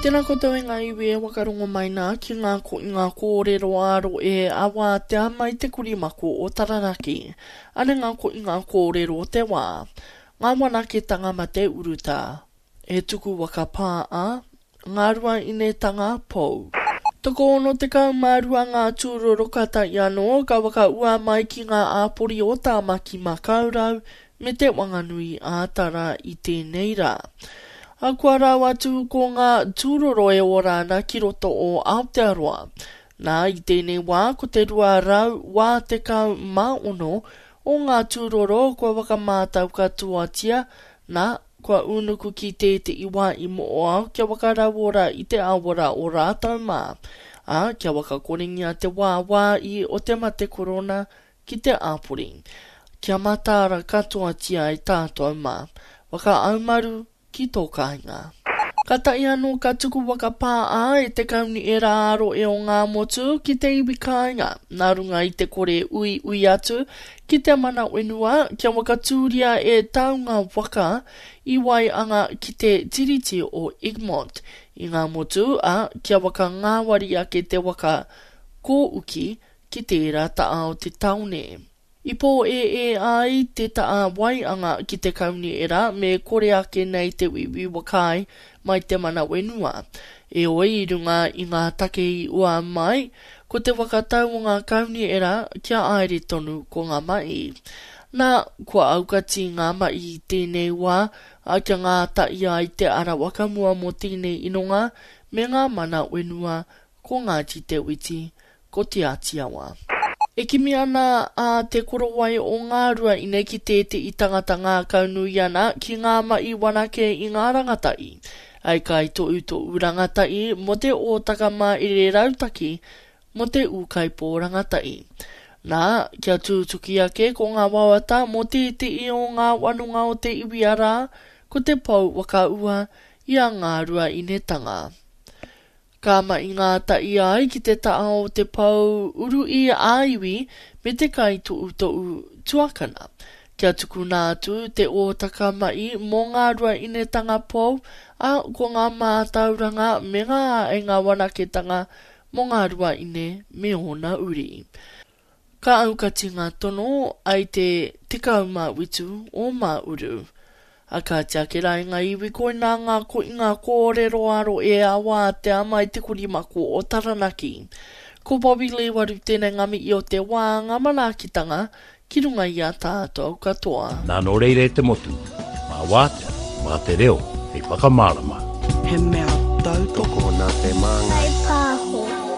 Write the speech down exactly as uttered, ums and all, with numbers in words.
Tēnā koutou e ngā iwi e wakarongo mai nā ki ngā ko i ngā kōrero ā-roe a wātea mai te korimako o Taranaki. Ane ngā ko i ngā kōrero o te wā. Ngā wanaketanga mate urutā. He tuku waka pā a, ngā rua inetanga pou. Tokoono tekau mā rua ngā tūroro ka tae anō ka whakaua mai ki ngā āpori o Tāmaki Makaurau me Te Wanganui ā Tara i tēnei rā. A kua rau atu ko ngā tūroro e ora ana ki roto o Aotearoa. Nā, i tēnei wā ko te rua rau wā tekau mā ono o ngā tūroro kua whakamātau katoatia, nā, kua ūnuku ki tētehi wā i Mo'oao kia whakarauora i te awara o rātou mā, ā, kia whakakorengia te wāwāi o te mate korona ki te āpori. Kia mataara katoatia ai tātou mā. Whakaaumaru ki tō kāinga. Ka tae anō ka tuku waka pā ā e te Kaunihera ā-Rohe o Ngāmotu ki te iwi kāinga, nā runga i te kore uiui atu ki te mana whenua kia whakatūria e taunga waka i Waianga ki te Tiriti o Egmont i Ngāmotu, ā, kia whakangāwari ake te waka kōuki ki tērā taha o te tāone. I pōēē ai te taha waianga ki te kaunihera me kore ake nei te wīwī whakaae mai te mana whenua. Heoi, i runga i ngā take i ua mai, ko te whakatau o ngā kaunihera kia haere tonu ko ngā mahi. Nā, kua aukati ngā mahi i tēnei wā, ā, kia ngātahi ai te ara whakamua mō tēnei inonga me ngā mana whenua ko Ngāti Te Witi, ko Te Ātiawa. E kimi ana a Te Korowai o Ngāruaine ki tētehi tangata ngākaunui ana ki ngā mahi wanake i ngā rangatahi, hei kaitohutohu rangatahi mō te hōtaka mahere rautaki mō te ūkaipō rangatahi. Nā, kia tūtuki ake ko ngā wawata mō tētehi o ngā wanonga o te iwi arā, ko te pou whakaua i a Ngāruainetanga. Ka mahi ngātahi ai ki te taha o te pou uruī ā-iwi me te kaitohutohu tuakana, kia tukuna atu te hōtaka mahi mō ngā rua inetanga pou, ā, ko ngā mātauranga me ngā āheinga wanaketanga mō ngā rua ine me ōna uri. Ka aukati ngā tono ai te tekau mā whitu o Māuru. A kāti ake rā i ngā iwi koinā ngā koinga kōrero aro e awātea mai te korimako o Taranaki. Ko Bobby Lee Waru tēnei ngā mihi o te wā, ngā manaakitanga ki runga i a tātou katoa. Nā nō reira e te motu, mā wātea, mā te reo hei whakamārama. He mea tautoko. Tokona te māngai. Whai pāho.